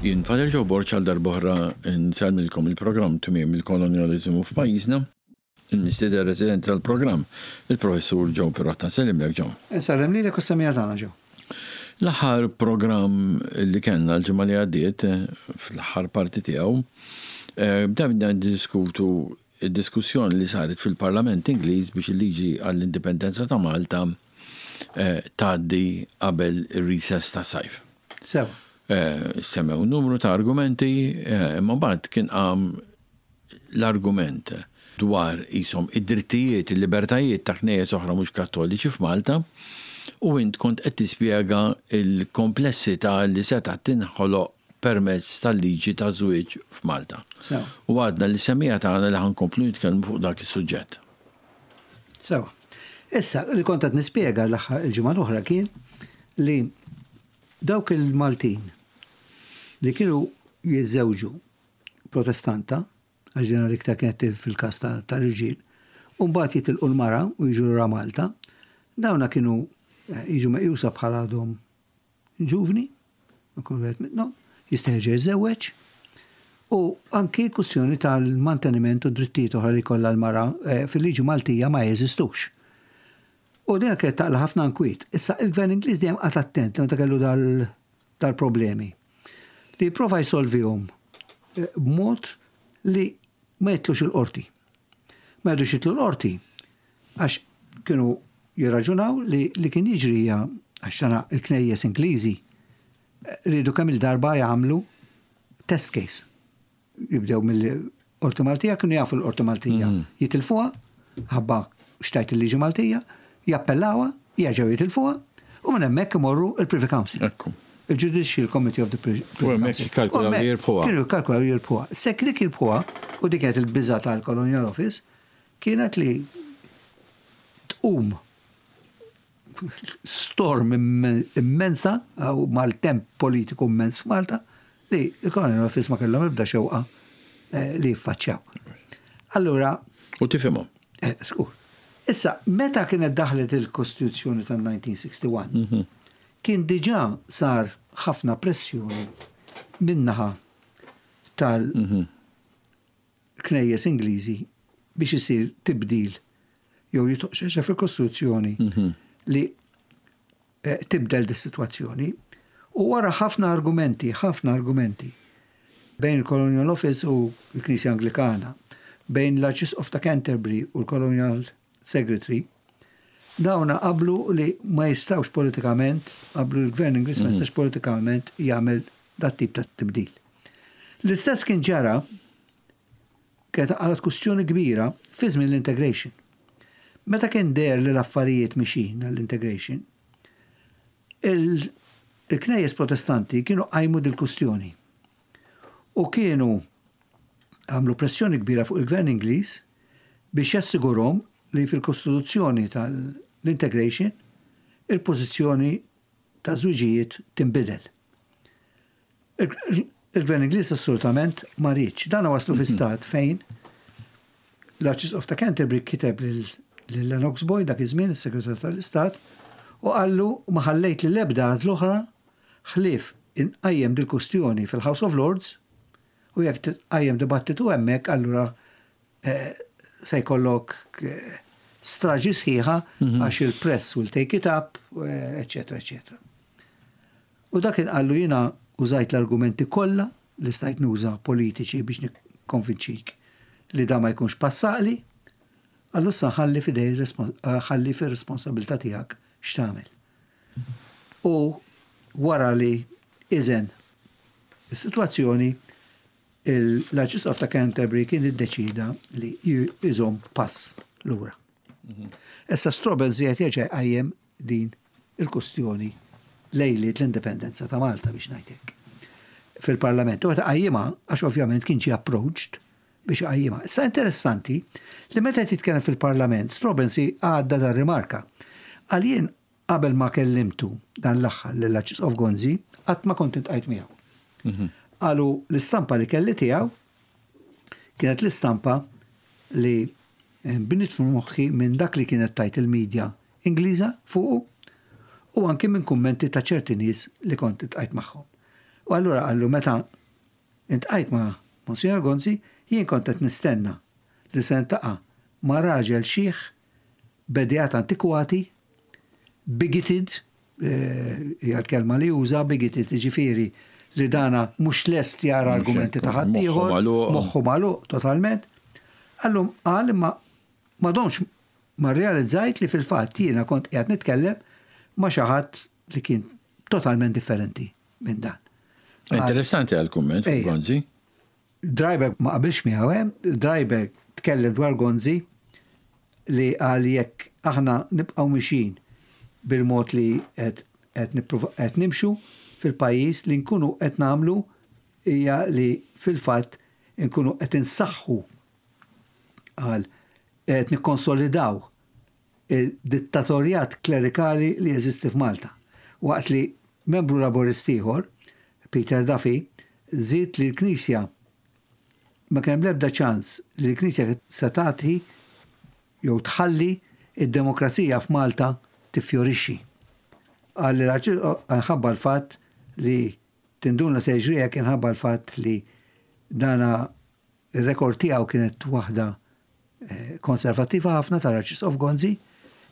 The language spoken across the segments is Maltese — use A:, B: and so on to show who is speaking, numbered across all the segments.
A: Jien Father Joe Borg għal darb'oħra nsellmilkom il-programm Tmiem il-Kolonjaliżmu f'pajjiżna. Il-mistieden residenti tal-programm, il-Professur Joe Pirotta. Nsellimlek Joe.
B: Insellem lilek u s-semmiegħa tagħna Joe.
A: L-aħħar programm li kellna l-ġimgħa li għaddiet, fl-aħħar parti tiegħu, bdejna niddiskutu d-diskussjoni li saret fil-Parlament Ingliż biex il-liġi għall-Indipendenza ta' Malta tgħaddi qabel ir-recess tas-sajf.
B: Sewa.
A: Semmew numru ta' argumenti, imma mbagħad kien qam l-argument dwar qishom id-drittijiet, il-libertajiet ta' knejjes oħra mhux Kattoliċi f'Malta u int kont qed tispjega l-komplessità li setgħet tinħoloq permezz tal-liġi taż-żwieġ f'Malta.
B: Sewa.
A: U għadna lis-semmiegħa tagħna li ħa nkomplu nitkellmu fuq dak is-suġġett.
B: Sewa. Issa, li kont qed nispjega l-aħħar il-ġimgħa l-oħra kien li dawk il-Maltin li kienu jiżżewġu Protestanta, għax din l-iktar kienet fil-każ tal-irġiel, u mbagħad jitilqu l-mara u jiġu lura Malta, dawna kienu eh, jiġu meqjusa bħala għadhom ġuvni, ikun wieħed minnhom, jista' jerġa' jiżżewweġ, u anki l-kwistjoni tal-manteniment u drittijiet oħra li jkollha l-mara eh, fil-liġi Maltija ma jeżistux. U din kienet taqla ħafna nkwiet. Issa il-Gvern Ingliż dejjem qagħad attent meta kellu dal-problemi. Li jipprova jsolvihom eh, b'mod li ma jitlux il-qorti. Ma jidux jitlu l-qorti għax kienu jirraġunaw li li kien jiġri hija għax tana il-knejjes Ingliżi riedu kemm il-darba jagħmlu test case. Jibdew mill-Qorti Maltija, kienu jafu l-Qorti Maltija jitilfuha, ħabba xtajt il-liġi Maltija, jappellawha, jerġgħu jitilfuha, u minn hemmhekk imorru il-Privy Council. Il-Judicial Committee of the Privy
A: U hemmhekk
B: Council.
A: jikkalkulaw
B: U hemmhekk
A: li jirbħuha.
B: Kienu jikkalkulaw li jirbħuha. Sekk dik jirbħuha, u dik kienet il-biża' tal-Colonial Office, kienet li tqum storm immensa u maltemp politiku immens f'Malta li l-Colonial Office ma kellhom ebda xewqa eh, li jiffaċċjaw. Allura,
A: U tifhimhom.
B: eh, skur. Issa, meta kienet daħlet il-Kostituzzjoni tal-1961, kien diġà sar ħafna pressjoni min-naħa tal- knejjes Ingliżi biex isir tibdil jew jitħol xi ħaġa fil-Kostituzzjoni li eh, tibdel dis-sitwazzjoni. U wara ħafna argumenti, ħafna argumenti bejn il-Colonial Office u l-Knisja Anglikana, bejn l-Arċisqof ta' Canterbury u l-Colonial Secretary, dawna qablu li ma jistawx politikament, qablu l-Gvern Ingliż ma jistax politikament jagħmel dat tip ta' tibdil. L-istess kien ġara kienet għalat kustjoni kbira fi żmien l-integration. Meta kien deher li l-affarijiet mixin għall-integration, il-knejjes protestanti kienu qajmu dil-kustjoni u kienu għamlu pressjoni kbira fuq il-gvern Ingliż biex jassigurhom li fil-kostituzzjoni tal-integration il-pożizzjoni ta' żwiġijiet tinbidel. Il-Gvern Ingliż assolutament ma riedx. Dan waslu fi stat fejn l-Arċisqof ta' Canterbury kiteb lil Lennox Boyd dak iż-żmien is-Segretarju tal-Istat u qallu ma ħallejt lil ebda għażla oħra ħlief inqajjem dil-kustjoni fil-House of Lords u jekk titqajjem dibattitu hemmhekk allura eh, se jkollok eh, straġi sħiħa għax il-press will take it up, eccetera, eccetera. U dak kien qallu jiena użajt l-argumenti kollha li stajt nuża politiċi biex nikkonvinċik li da ma jkunx pass għaqli, qallu issa ħalli f'idej ħalli fir-responsabilità tiegħek x'tagħmel. U wara li iżen is-sitwazzjoni, l-Arċisqof ta' Canterbury kien iddeċida li jżomm pass lura. Issa Strobel żied jerġa' jqajjem din il-kustjoni lejliet l-indipendenza ta' Malta biex ngħid hekk fil-Parlament. U qajjimha għax ovvjament kien ġie approached biex iqajjimha. Issa interessanti li meta qed jitkellem fil-Parlament Strobensee għadda dan rimarka. Qal jien qabel ma kellimtu dan l-aħħar lill-Arċisqof Gonzi qatt ma kont intqajt miegħu. Qalu l-istampa li kelli tiegħu kienet l-istampa li bniet f'moħħi minn dak li kienet tajt il-medja Ingliża fuqu u anki minn kummenti ta' ċerti nies li kont iltqajt magħhom. U allura qallu meta Iltqajt ma' Monsinjor Gonzi, jien kont qed nistenna li se niltaqa' ma' raġel xiħ b'edeat antikwati, bigoted, hija l-kelma li uża, bigoted jiġifieri li dana mhux lest jara argumenti ta' ħaddieħor, moħħu magħluq totalment. Allum qal imma ma domx ma rrealizzajt li fil-fatt jiena kont qiegħed nitkellem ma' xi ħadd li kien totalment differenti minn dan.
A: Interessanti għal-kumment fuq Gonzi.
B: Dryberg ma qabilx miegħu hemm, Dryberg tkellem dwar Gonzi li qal jekk aħna nibqgħu mixjin bil-mod li qed qed nimxu fil-pajjiż li nkunu qed nagħmlu hija li fil-fatt inkunu qed insaħħu qal qed nikkonsolidaw id-dittatorjat klerikali li jeżisti f'Malta, waqt li membru Laburist ieħor, Peter Duffy, żied li l-Knisja ma kien hemm l-ebda ċans li l-Knisja se tagħti jew tħalli d-demokrazija f'Malta tiffjorixxi. Qal li l-Arċisqof minħabba l-fatt li tinduna se jiġri hekk inħabba l-fatt li dana r-rekord tiegħu kienet waħda konservattiva ħafna tal-Arċisqof Gonzi,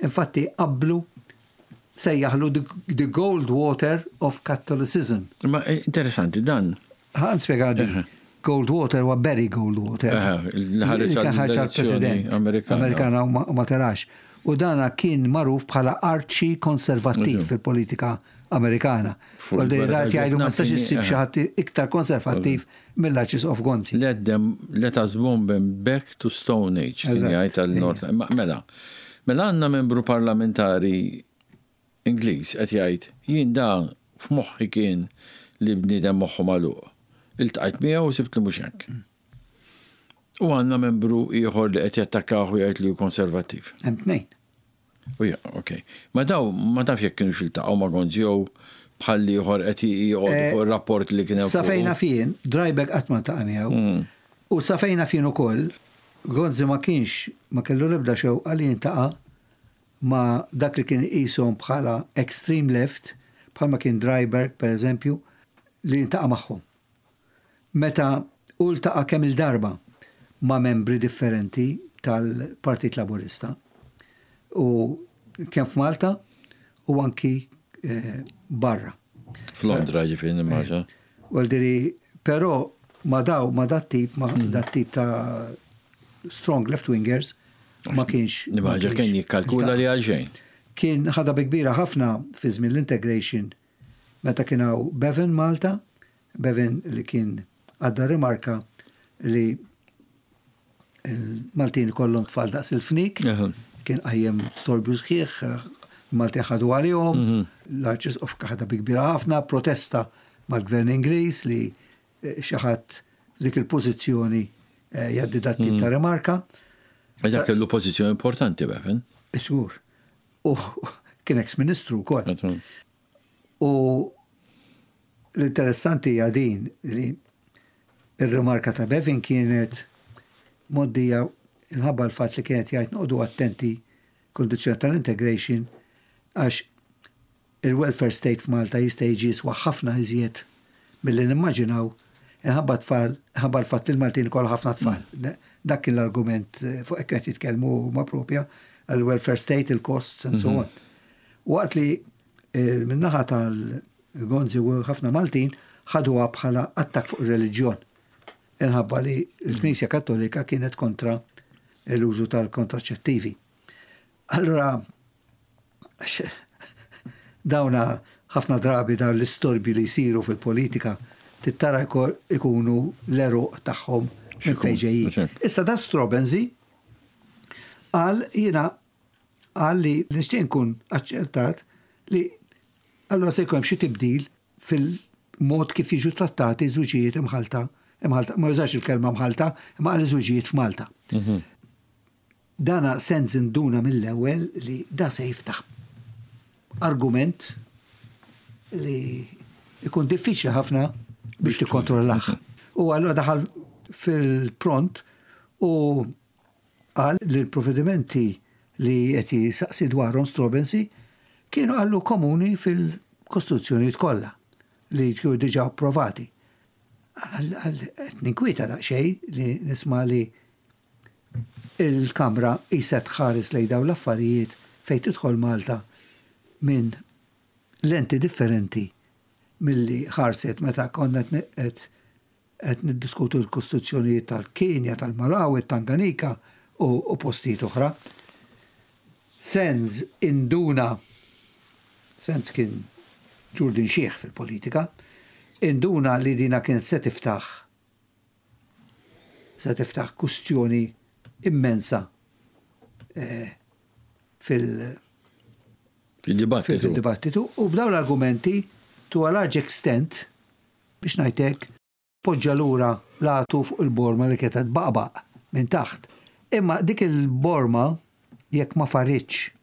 B: infatti qablu sejjaħlu the gold water of Catholicism.
A: Ma interessanti dan.
B: Ħa nispjega di. Goldwater huwa Barry Goldwater.
A: Li ħareġ għall-president
B: Amerikana u ma telax. U dana kien magħruf bħala arċi konservattiv fil-politika Amerikana. Għal jgħidu ma stax issib xi ħadd iktar konservattiv mill-Arċisqof Gonzi.
A: Let them, let us bomb them back to Stone Age, kien jgħid għal-Nord. Mela, mela għandna membru parlamentari Ingliż qed jgħid jien da f'moħħi kien li bniedem moħħu magħluq. Iltqajt miegħu u sibt li mhux hekk. U għandna membru ieħor li qed jattakkah u jgħid li hu konservattiv.
B: Hemm tnejn.
A: U ja, ok. Ma daw ma taf jekk kienux iltaqgħu ma' Gonzi jew bħal ieħor qed joqogħdu fuq ir-rapport li kien hemm.
B: Sa fejn naf jien, Drybeck qatt ma ltaqa' miegħu. U sa fejn naf jien ukoll, Gonzi ma kienx ma kellu l-ebda xewqa li jiltaqa' ma' dak li kien iqishom bħala extreme left, bħalma kien Dryberg pereżempju, li jiltaqa' magħhom. Meta hu ltaqa' kemm-il darba ma' membri differenti tal-Partit Laburista u kemm f'Malta u anki barra.
A: F'Londra ġifieri nimmaġina.
B: Vuol dire, però ma' daw, ma' dat-tip, ma' dat-tip ta' strong left-wingers ma kienx.
A: Nimmaġina kien jikkalkula li għal xejn.
B: Kien ħadha bi kbira ħafna fi żmien l-integration meta kien hawn Bevan Malta, Bevan li kien għadda rimarka li l-Maltin ikollhom tfal daqs il-fnik, kien qajjem storbju sħiħ, il-Maltin ħadu għalihom, l-Arċisqof ħadha bi kbira ħafna, protesta mal-Gvern Ingliż li xi ħadd f'dik il-pożizzjoni jgħaddi dat tip ta' rimarka.
A: Dak kellu pożizzjoni importanti Bevan.
B: Żgur. U kien ex-ministru wkoll. U l-interessanti hija din li ir-rimarka ta' Bevin kienet moddija inħabba l-fatt li kienet jgħid noqogħdu attenti kondizzjoni tal-integration għax il-welfare state f'Malta jista' jiġi jiswa ħafna iżjed milli nimmaġinaw inħabba tfal, inħabba l-fatt li l-Maltin ikollhom ħafna tfal. Dak kien l-argument fuq hekk qed jitkellmu huma propja għall-welfare state, il-costs and so on. Waqt li min-naħa tal-Gonzi u ħafna Maltin ħaduha bħala attakk fuq ir-reliġjon. Inħabba li l-Knisja Kattolika kienet kontra l-użu tal-kontraċettivi. Allura, dawna ħafna drabi dawn l-istorbi li jsiru fil-politika tittara ikunu l-għeruq tagħhom minn fejn ġejjin. Issa da Straubenzee qal jiena qal li nixtieq nkun aċċertat li allura se jkun hemm xi tibdil fil-mod kif jiġu trattati żwiġijiet imħalta, imħalta, ma jużax il-kelma mħalta, imma qal żwiġijiet f'Malta. Dana sens induna mill-ewwel li da se jiftaħ argument li jkun diffiċli ħafna biex tikkontrollah. U allura daħal fil-pront u qal li l-provvedimenti li qed jisaqsi dwarhom Straubenzee kienu qallu komuni fil-kostituzzjonijiet kollha li kienu diġà approvati. Qed ninkwieta daqsxejn li nisma' li il-Kamra qisha tħares lejn dawn l-affarijiet fejn tidħol Malta minn lenti differenti milli ħarset meta konna qed qed niddiskutu l-kostituzzjonijiet tal-Kenja, tal-Malawi, Tanganika u postijiet oħra. Sands induna, Sands kien ġurdin xiħ fil-politika, induna li dina kienet se tiftaħ kustjoni immensa fil-
A: Fil-dibattitu.
B: Fil-dibattitu u b'dawn l-argumenti, to a large extent, biex ngħidlek, poġġa lura l-għatu fuq il-borma li kienet baqbaq minn taħt. Imma dik il-borma, jekk ma faritx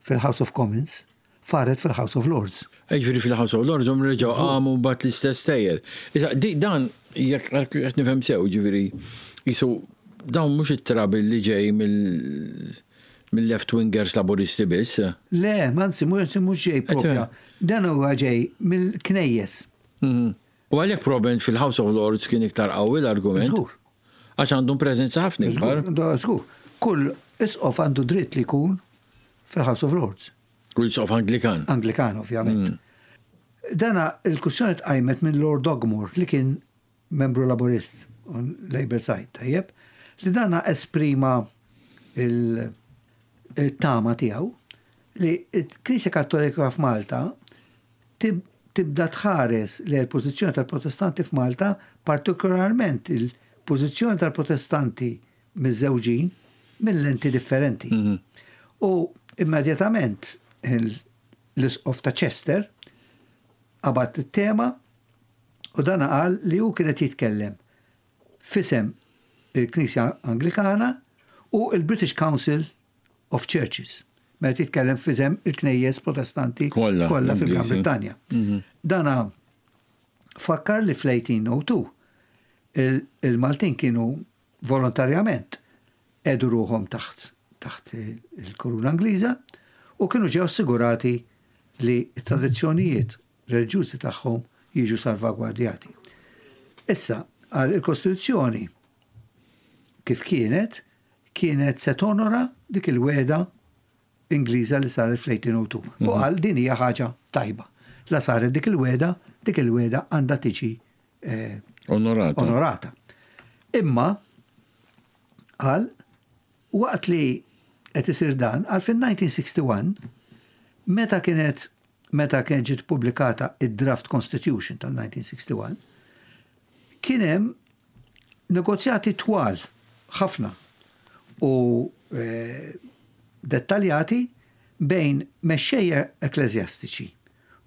B: fil-House of Commons, faret fil-House of Lords.
A: Ġifieri fil-House of Lords hum reġgħu qamu mbagħad l-istess stejjer. Issa dan jekk qed nifhem sew, ġifieri jisu dawn mhux it-trouble li ġej mill-left wingers Laburisti biss.
B: Le, anzi, mhux ġej propja. Dan huwa ġej mill-knejjes.
A: U għalhekk probablement fil-House of Lords kien iktar qawwi l-argument.
B: Żgur.
A: Għax għandhom preżenza ħafna ikbar.
B: Żgur. Kull isqof għandu dritt li jkun fil-House of Lords.
A: Kull isqof Anglikan.
B: Anglikan, ovvjament. Dana il-kwistjoni tqajmet minn Lord Ogmore, li kien membru Laburist on Labour side, tajjeb, li dana esprima il-tama tiegħu li il-Knisja Kattolika f'Malta tibda tħares li l-pożizzjoni tal-Protestanti f'Malta, partikolarment il-pożizzjoni tal-Protestanti miżżewġin, minn lenti differenti. U immedjatament l-isqof ta' Chester qabad it-tema u dan qal li hu kienet jitkellem f'isem il-Knisja Anglikana u il-British Council of Churches. Meta jitkellem f'isem il-Knejjes Protestanti
A: kollha
B: kollha fil-Gran
A: Ingliżi.
B: Brittanja. Dana fakkar li fl-1802 il-Maltin kienu volontarjament qiegħdu ruħhom taħt il-Koruna Ingliża u kienu ġew assigurati li t-tradizzjonijiet reliġjużi tagħhom jiġu salvagwardjati. Issa, għal il-Kostituzzjoni kif kienet, kienet se tonora dik il-wegħda Ingliża li saret fl-1802. U qal din hija ħaġa tajba. La saret dik il-wegħda, dik il-wegħda għandha tiġi
A: Onorata.
B: onorata. Imma qal waqt li qed isir dan, qal fin-1961, meta kienet ġiet pubblikata id-Draft Constitution tal-1961, kien hemm negozjati twal ħafna u dettaljati bejn mexxejja ekklesjastiċi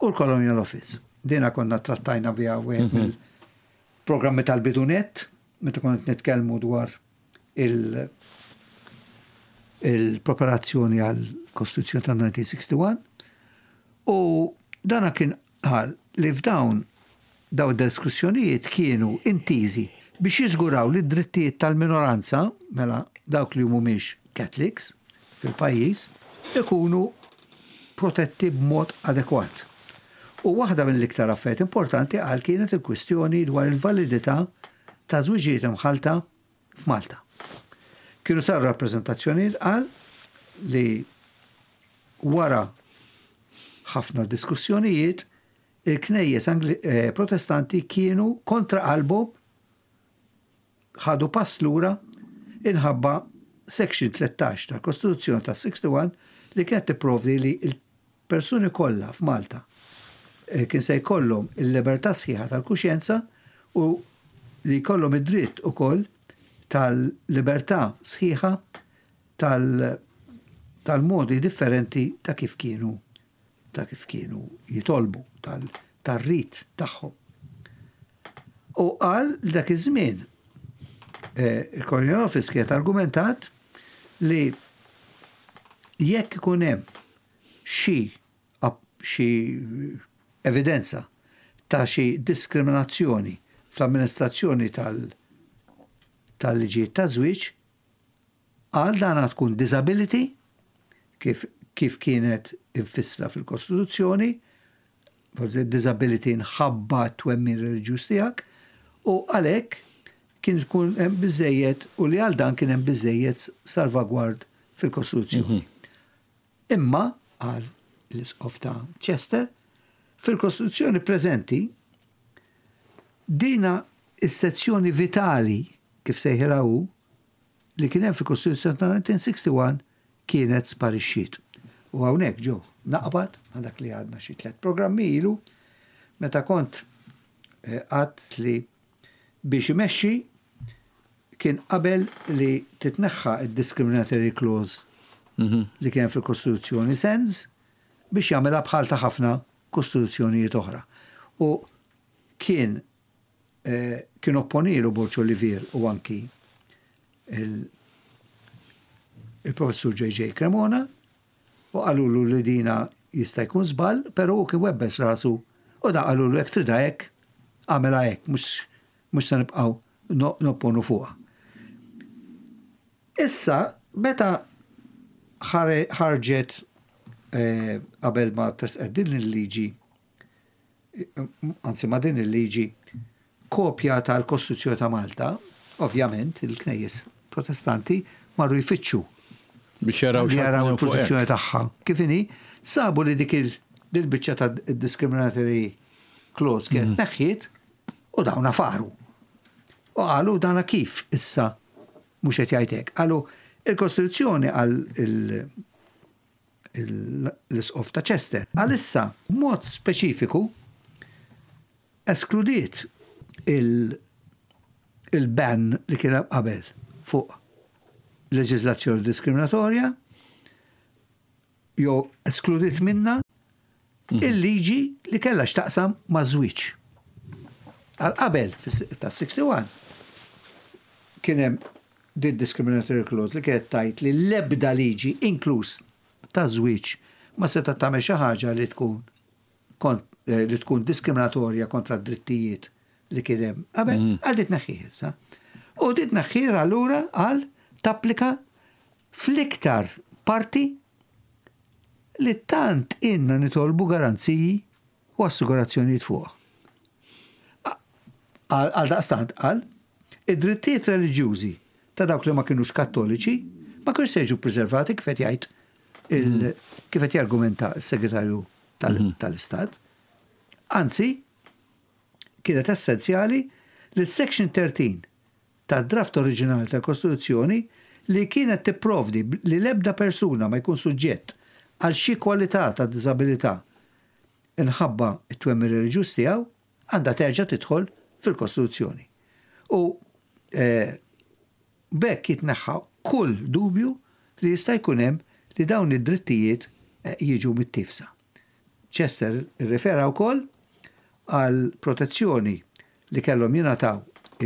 B: u l-Colonial Office. Dina konna trattajna biha wieħed mill-programmi tal-bidunet, meta konna nitkellmu dwar il-preparazzjoni għal-Kostituzzjoni tal-1961, u dana kien qal li f'dawn daw diskussjonijiet kienu intiżi biex jiżguraw li d-drittijiet tal-minoranza, mela dawk li mhumiex Catholics fil-pajjiż, ikunu protetti b'mod adekwat. U waħda mill-iktar affarijiet importanti, qal, kienet il-kwistjoni dwar il-validità ta' żwiġijiet imħalta f'Malta. Kienu saru rappreżentazzjonijiet, qal, li wara ħafna diskussjonijiet il-knejjes Protestanti kienu kontra qalbhom ħadu pass lura inħabba Section 13 tal-Kostituzzjoni tas-61, li kienet tipprovdi li il-persuni kollha f'Malta kien se jkollhom il-libertà sħiħa tal-kuxjenza u li jkollhom id-dritt ukoll tal-libertà sħiħa tal-modi differenti ta' kif kienu jitolbu, tal-rit tagħhom. U qal li dak iż-żmien il-Colonial Office kienet argumentat li jekk ikun hemm xi evidenza ta' xi diskriminazzjoni fl-amministrazzjoni tal-liġijiet ta' żwieġ, għal dana tkun disability kif kienet infissra fil-Kostituzzjoni, forsi disability nħabba twemmin reliġjuż tiegħek, U għalhekk kien tkun hemm biżejjed u li għal dan kien hemm biżejjed salvagward fil-Kostituzzjoni. Imma, qal l-Isqof ta' Chester, fil-Kostituzzjoni preżenti dina is-sezzjoni vitali, kif sejħilha hu, li kien hemm fil-Kostituzzjoni ta' 1961 kienet sparixxiet. U hawnhekk, Joe, naqbad ma' dak li għadna xi tlett programmi ilu, meta kont għadt li biex imexxi kien qabel li titneħħa d-discriminatory clause li kien hemm fil-Kostituzzjoni Sands biex jagħmilha bħal ta' ħafna kostituzzjonijiet oħra. U kien kien opponielu Borg Olivier u anki il-Professur JJ Cremona u qalulu li dina jista' jkun żball, però hu kien webbes rasu u da qalulu jekk tridha hekk, agħmilha hekk, mhux se nibqgħu nopponu fuqha. Issa, meta ħarġet qabel ma tressqet din il-liġi, anzi ma' din il-liġi, kopja tal-Kostituzzjoni ta' Malta, ovvjament il-knejjes Protestanti marru jfittxu
A: biex jaraw
B: jaraw il-pożizzjoni tagħha. Kif inhi, sabu li dik il-biċċa ta' discriminatory clause kienet neħħiet u dawna faru. U qalu dana kif issa mhux qed jgħid hekk. Qalu il-Kostituzzjoni għal l-Isqof ta' Chester. Għalissa, b'mod speċifiku, eskludiet il-ban li kien hemm qabel fuq leġiżlazzjoni diskriminatorja jew eskludiet minnha il-liġi li kellha x'taqsam maż-żwieġ. Għal qabel tas-61 kien hemm din discriminatory clause li kienet tgħid li l-ebda liġi inkluż taż-żwieġ ma setgħet tagħmel xi ħaġa li tkun li tkun diskriminatorja kontra d-drittijiet li kien hemm qabel, għal di tneħħih issa. U di tneħħih allura għal tapplika fl-iktar parti li tant inna nitolbu garanziji u assigurazzjonijiet fuqha. Għaldaqstant qal, id-drittijiet reliġjużi ta' dawk li ma kinux Kattoliċi ma kinux se jiġu ppreservati kif qed jgħid kif qed jargumenta s-Segretarju tal-Istat. Anzi, kienet essenzjali li s-Section 13 tad-draft oriġinali tal-Kostituzzjoni li kienet tipprovdi li l-ebda persuna ma jkun suġġett għal xi kwalità ta' diżabilità inħabba t-twemmin reliġjuż tiegħu għandha terġa' tidħol fil-Kostituzzjoni. U b'hekk jitneħħa kull dubju li jista' jkun hemm li dawn id-drittijiet jiġu mittiefsa. Chester irrifera wkoll għall-protezzjoni li kellhom jingħataw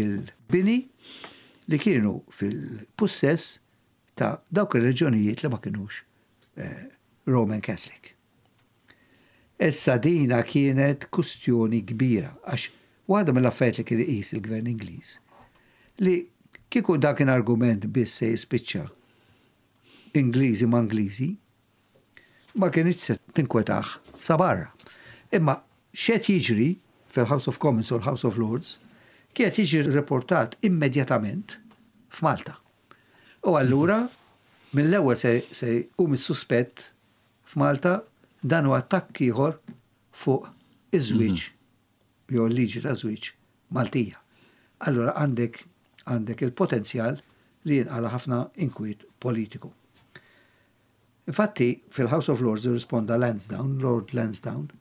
B: il-bini li kienu fil-pussess ta' dawk ir-reġjonijiet li ma kinux Roman Catholic. Issa dina kienet kustjoni kbira għax waħda mill-affarijiet li kien iqis il-Gvern Ingliż li kieku dak kien argument biss se jispiċċa Ingliżi ma' Ingliżi, ma kinitx se tinkwetah sa barra. Imma x'qed jiġri fil-House of Commons u l-House of Lords kien qed jiġi riportat immedjatament f'Malta. U allura mill-ewwel se se jqum is-suspett f'Malta dan hu attakk ieħor fuq iż-żwieġ jew il-liġi taż-żwieġ Maltija. Allura għandek għandek il-potenzjal li jinqala' ħafna inkwiet politiku. Infatti, fil-House of Lords irrisponda Lansdowne, Lord Lansdowne,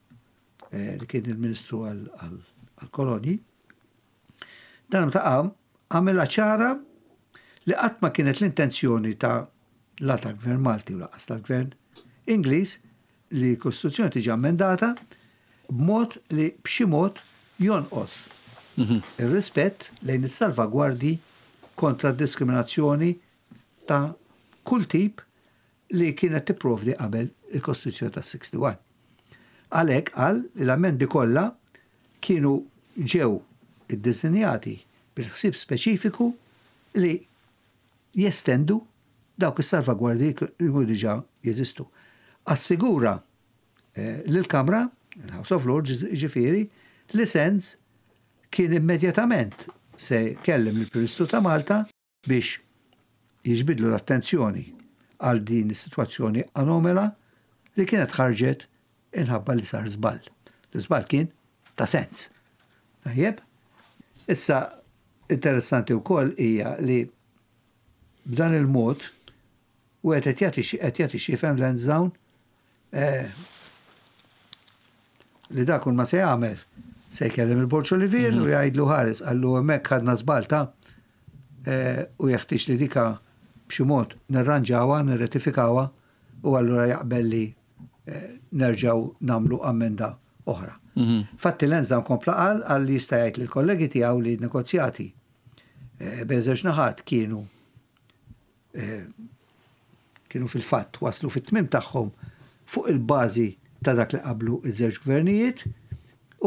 B: li kien il-Ministru għall-Kolonji. Dan meta qam, għamilha ċara li qatt ma kienet l-intenzjoni ta' la tal-Gvern Malti u lanqas tal-Gvern Ingliż li l-Kostituzzjoni tiġi ammendata b'mod li b'xi mod jonqos ir-rispett lejn is-salvagwardji kontra d-diskriminazzjoni ta' kull tip li kienet tipprovdi qabel il-Kostituzzjoni tas-61. Għalhekk qal li l-ammendi kollha kienu ġew iddisinjati bil-ħsieb speċifiku li jestendu dawk is-salvagwardji li kienu diġà jeżistu. Assigura lill-Kamra, il-House of Lords jiġifieri, li Sands kien immedjatament se jkellem lill-Prim Ministru ta' Malta biex jiġbidlu l-attenzjoni għal din is-sitwazzjoni anomela li kienet ħarġet inħabba li sar żball. L-iżball kien ta' sens. Tajjeb? Issa, interessanti wkoll hija li b'dan il-mod wieħed qed jagħti qed jagħti x'jifhem Lansdowne eh, li dak kull ma se jagħmel se jkellem il-Borġ Olivier u jgħidlu ħares qallu hemmhekk ħadna żball ta' eh, u jeħtieġ li dika b'xi mod nirranġawha, nirretifikawha u allura jaqbel li eh, nerġgħu nagħmlu ammenda oħra. Fatti Lansdowne kompla qal qal li jista' jgħid lill-kollegi tiegħu li negozjati eh, bejn żewġ naħat kienu kienu fil-fatt waslu fit-tmiem tagħhom fuq il-bażi ta' dak li qablu iż-żewġ gvernijiet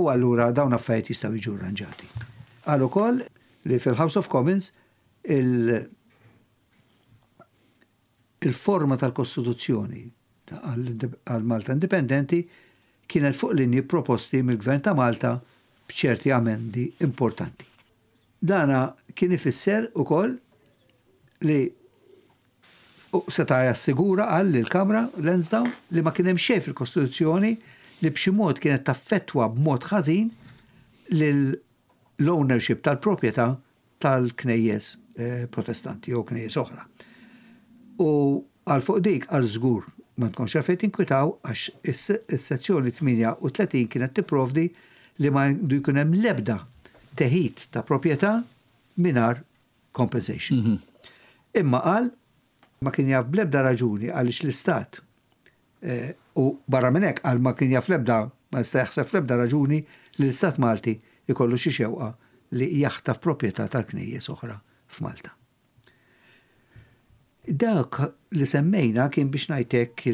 B: u allura dawn affarijiet jistgħu jiġu arranġati. Qal ukoll li fil-House of Commons il- il-forma tal-Kostituzzjoni għal Malta Indipendenti kienet fuq linji proposti mill-Gvern ta' Malta b'ċerti amendi importanti. Dana kien ifisser ukoll li seta' jassigura qal lill-Kamra Lansdowne li ma kien hemm xejn fil-Kostituzzjoni li b'xi mod kienet taffettwa b'mod ħażin l-ownership tal-proprjetà tal-knejjes Protestanti jew knejjes oħra. U għal fuq dik għal żgur ma tkomx għalfejn tinkwitaw għax is-sezzjoni 38 kienet tipprovdi li ma għandu jkun hemm l-ebda teħid ta' proprjetà mingħajr compensation. Mhm. Imma qal ma kien jaf bl-ebda raġuni għaliex l-istat eh, u barra minn hekk qal ma kien jaf l-ebda ma jista' jaħseb fl-ebda raġuni li l-istat Malti ikollu xi xewqa li jaħtaf proprjetà tal-knejjes oħra f'Malta. Dak li semmejna kien biex ngħidlek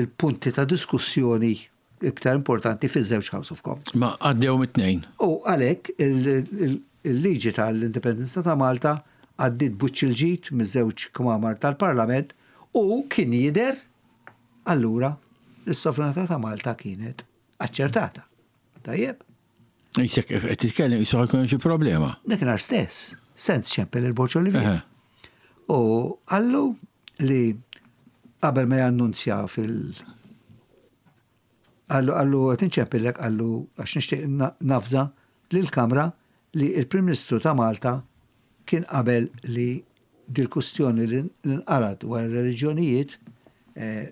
B: il-punti ta' diskussjoni iktar importanti fiż-żewġ House of Commons.
A: Ma għaddew mit-tnejn.
B: U għalhekk il-liġi tal-Indipendenza ta' Malta għaddiet b'wiċċ il-ġid miż-żewġ kmamar tal-Parlament u kien jidher allura li s-sovranità ta' Malta kienet aċċertata. Tajjeb?
A: Jisek qed titkellem jisu ħajkun xi problema.
B: Dakinhar stess, Sands ċempel il-Borġ Olivier. U qallu li qabel ma jannunzja fil- Qallu qallu qed inċempillek qallu għax nixtieq nafza lill-Kamra li l-Prim Ministru ta' Malta kien qabel li dil-kustjoni li nqalgħet dwar ir-reliġjonijiet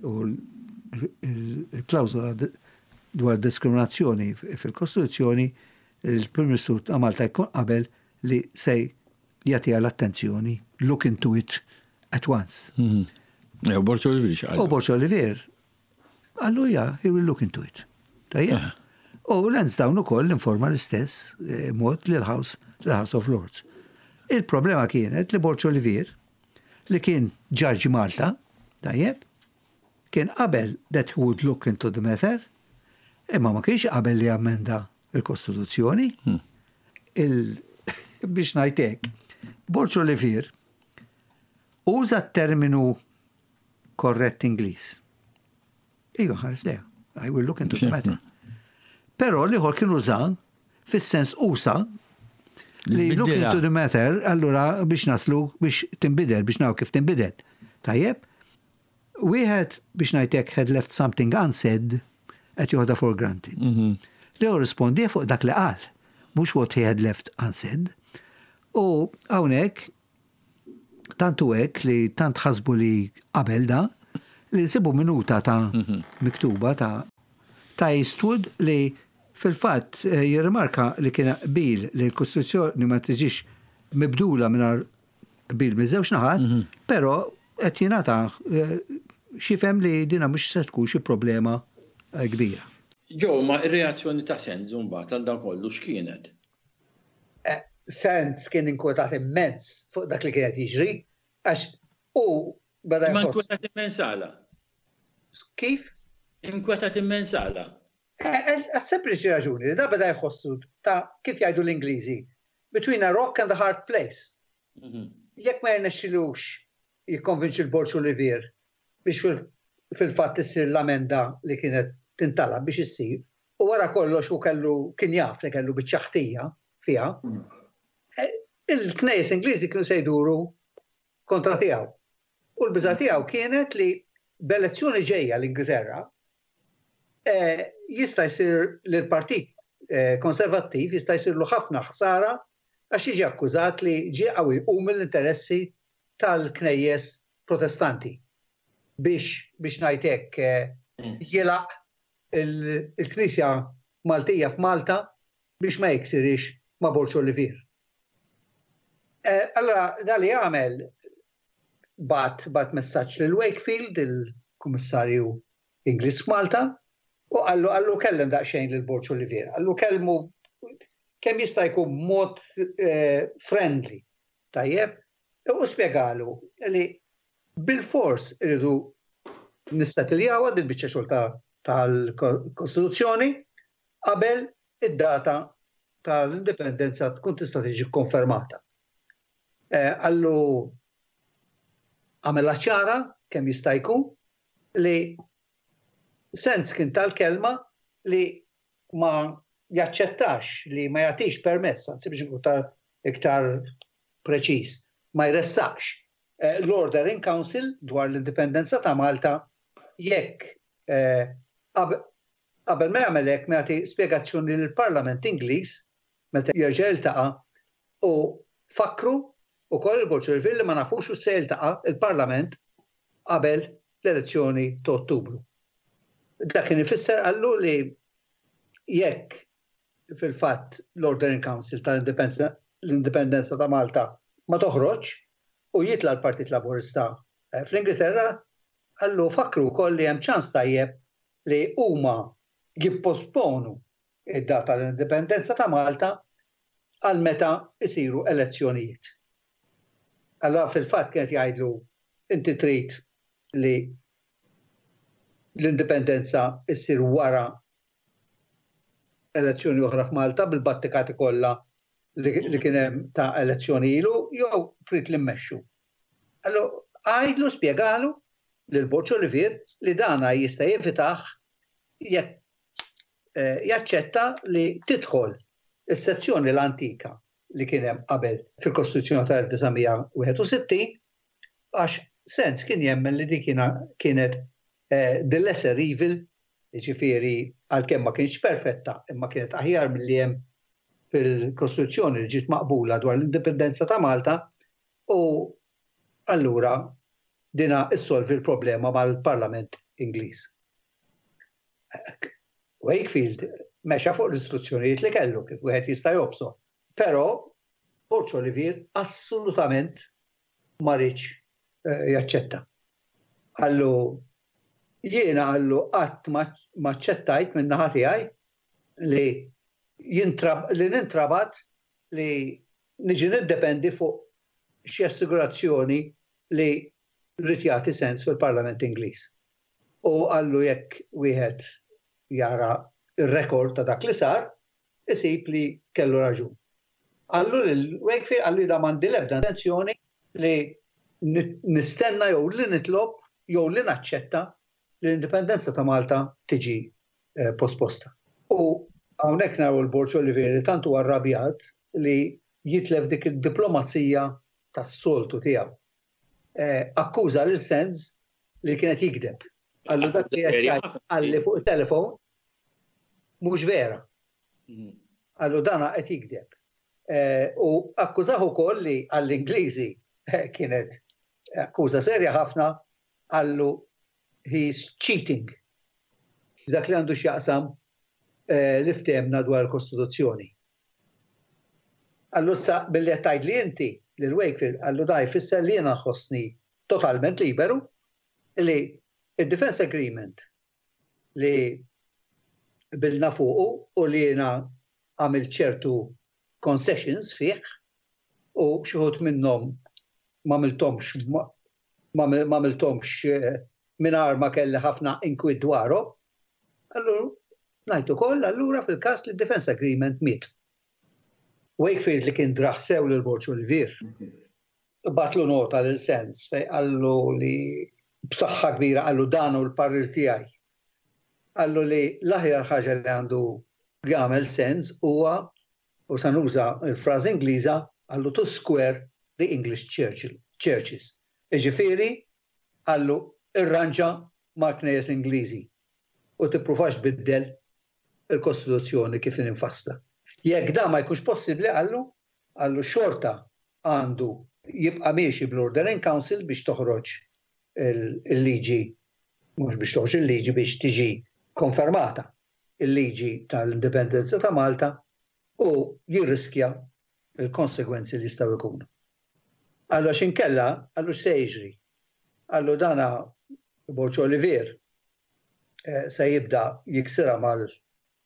B: u l-klawżola dwar diskriminazzjoni fil-Kostituzzjoni, il-Prim Ministru ta' Malta jkun qabel li se jagħtiha l-attenzjoni, look into it at once.
A: Mhm. U Borġ Olivier x'qal?
B: U Borġ Olivier qallu ja, he will look into it. Tajjeb. U Lansdowne ukoll informa l-istess eh, mod lil-House l-House of Lords. Il-problema kienet li Borġ Olivier li kien ġaġ Malta, tajjeb, kien qabel that he would look into the matter, imma ma kienx qabel li ammenda il-Kostituzzjoni. Hmm. Il biex ngħidlek, Borġ Olivier uża t-terminu korrett Ingliż. Ejju ħares leha. I will look into the matter. Però l-ieħor kien uża fis-sens usa li look into the matter, allura biex naslu biex tinbidel, biex naw kif tinbidel. Tajjeb? Wieħed biex ngħidlek had left something unsaid qed joħda for granted. Mhm. Li rispondi fuq dak li qal, mhux what he had left unsaid. U hawnhekk tantu hekk li tant ħasbu li qabel da li nsibu minuta ta' mhm. miktuba ta' ta' Eastwood li fil-fatt eh, jirrimarka li kien qbil li l-Kostituzzjoni ma tiġix mibdula mingħajr qbil miż-żewġ naħat, mhm. però qed jingħata eh, x'jifhem li dina mhux se tkun xi problema eh, kbira.
A: Ġo, ma ir-reazzjoni ta' Sands mbagħad għal dan kollu x'kienet?
C: Sands kien inkwetat immens fuq dak li kienet jiġri, għax u
A: beda Ma inkwetat immens għala?
C: Kif?
A: Inkwetat immens għala?
C: Għas sempliċi raġuni li da beda jħossu ta' kif jgħidu l-Ingliżi, between a rock and a hard place. Mhm. Jekk ma jirnexxilux jikkonvinċi l-Borġ Olivier biex fil-fatt issir l-amenda li kienet tintalab biex issir, u wara kollox u kellu kien jaf li kellu biċċa ħtija. fiha, il-knejjes Ingliżi kienu se jduru kontra tiegħu. U l-biża' tiegħu kienet li b'elezzjoni ġejja l-Ingilterra jista' jsir li l-Partit Konservattiv jista' jsirlu ħafna ħsara għax jiġi akkużat li ġie qawwi jqum mill-interessi tal-knejjes Protestanti biex biex ngħid hekk jilgħaq il-Knisja Maltija f'Malta biex ma jiksirhiex ma' Borg Olivier. Allura da li għamel bagħat bagħat messaġġ lil Wakefield, il-Kummissarju Ingliż f'Malta, u qallu qallu kellem daqsxejn lil Borg Olivier, qallu kellmu kemm jista' jkun b'mod friendly, tajjeb, u spjegalu li bilfors irridu nissettiljawha dil-biċċa xogħol tal-Kostituzzjoni qabel id-data tal-indipendenza tkun tista' tiġi kkonfermata. Qallu għamilha ċara kemm jista' jkun li Sens kien tal-kelma li ma jaċċettax li ma jagħtix permess, anzi biex inkun iktar preċiż, ma jressaqx l-Order in Council dwar l-indipendenza ta' Malta jekk qabel ma jagħmel hekk ma jagħti spjegazzjoni lill-Parlament Ingliż meta jerġa' jiltaqa' u fakkru wkoll il-Bord Ċivil li ma nafux hux se jiltaqa' l-Parlament qabel l-elezzjoni ta' Ottubru. Dak kien ifisser qallu li jekk fil-fatt l-Order in Council tal-Indipendenza ta' Malta ma toħroġx u jitla' l-Partit Laburista fl-Ingilterra, qallu fakkru wkoll li hemm ċans tajjeb li huma jipposponu id-data tal-Indipendenza ta' Malta għal meta jsiru elezzjonijiet. Allura fil-fatt kien qed jgħidlu inti trid li l-indipendenza ssir wara elezzjoni oħra f'Malta bil-battikati kollha li kien hemm ta' elezzjoni ilu jew trid li mmexxu. Allura għidlu spjegalu lil Borg Olivier li dana jista' jevitah jekk jaċċetta li tidħol is-sezzjoni l-antika li kien hemm qabel fil-Kostituzzjoni tal-1961 għax Sens kien jemmen li dik kienet the lesser evil, jiġifieri għalkemm ma kienx perfetta imma kienet aħjar milli hemm fil-Kostituzzjoni li ġiet maqbula dwar l-indipendenza ta' Malta u allura dina issolvi l-problema mal-Parlament Ingliż. Wakefield mexa fuq l-istruzzjonijiet li kellu kif wieħed jista' jobso. Però Borg Olivier assolutament ma riedx jaċċetta. Qallu jiena qallu qatt ma aċċettajt min-naħa tiegħi li li nintrabat li niġi niddependi fuq xi assigurazzjoni li ried jagħti sens fil-Parlament Ingliż. U qallu jekk wieħed jara r-rekord ta' dak li sar, isib li kellu raġun. Qallu lil Wakefield, qallu jiena m'għandi l-ebda intenzjoni li nistenna jew li nitlob jew li naċċetta li l-indipendenza ta' Malta tiġi posposta. U hawnhekk naraw il-Borg Olivier li tant huwa rrabjat li jitlef dik id-diplomazija tas-soltu tiegħu. Akkuża lil Sands li kien qed jigdeb. Qallu dak li qed jgħid qalli fuq it-telefon mhux vera. Qallu dana qed jigdeb. U akkużah ukoll li għall-Ingliżi kienet akkuża serja ħafna qallu he's cheating. Dak li għandu x'jaqsam li ftehemna dwar il-Kostituzzjoni. Qallu issa billi qed tgħidli inti lil Wakefield qallu da jfisser li jiena nħossni totalment liberu li d-defence agreement li qbilna fuqu u li jiena għamilt ċertu concessions fih u xi wħud minnhom m'għamilthomx m'għamilthomx mingħajr ma kelli ħafna inkwiet dwarhom, allura ngħid ukoll allura fil-każ li d-defence agreement miet. Wakefield li kien draħ sew lil Borg Olivier, bagħatlu nota lil Sands fejn qallu li b'saħħa kbira qallu dan hu l-parir tiegħi. Qallu li l-aħjar ħaġa li għandu jagħmel Sands huwa U sa nuża l-frażi Ingliża qallu to square the English churches. Jiġifieri qallu irranġa mal-knejjes Ingliżi u tippruvax tbiddel il-Kostituzzjoni kif inhi mfassla. Jekk dan ma jkunx possibbli qallu, qallu xorta għandu jibqa' miexi bl-Order in Council biex toħroġ il-liġi, mhux biex toħroġ il-liġi, biex tiġi konfermata il-liġi tal-Indipendenza ta' Malta u jirriskja l-konsegwenzi li jistgħu jkunu. Qallu għax inkella, qallu x'se jiġri? Qallu dana Borg Olivier se jibda jiksirha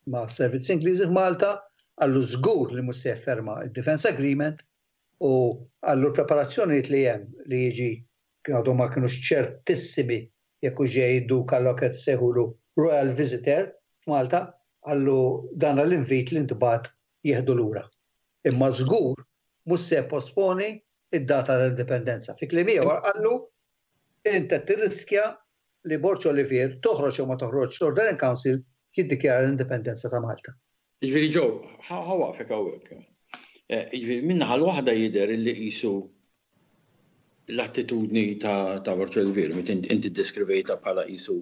C: mas-servizzi Ingliżi f'Malta, qallu żgur li mhux se jifferma d-Defence Agreement u qallu l-preparazzjonijiet li hemm li jiġi kien għadhom ma kinux ċertissimi jekk hux ġej id-Duka allura kienet issejħulu Royal Visitor f'Malta, qallu dan l-invit li ntbagħat jieħdu lura. Imma żgur mhux se jipposponi d-data tal-Indipendenza. Fi kliem ieħor qallu int qed tirriskja li Borg Olivier toħroġ jew ma toħroġx l-Order in Council jiddikjara l-Indipendenza ta' Malta.
A: Jiġifieri Joe, ħa waqfek hawnhekk. Jiġifieri min-naħa l-waħda jidher illi qisu l-attitudni ta' Borg Olivier, meta inti ddeskrivejtha bħala qisu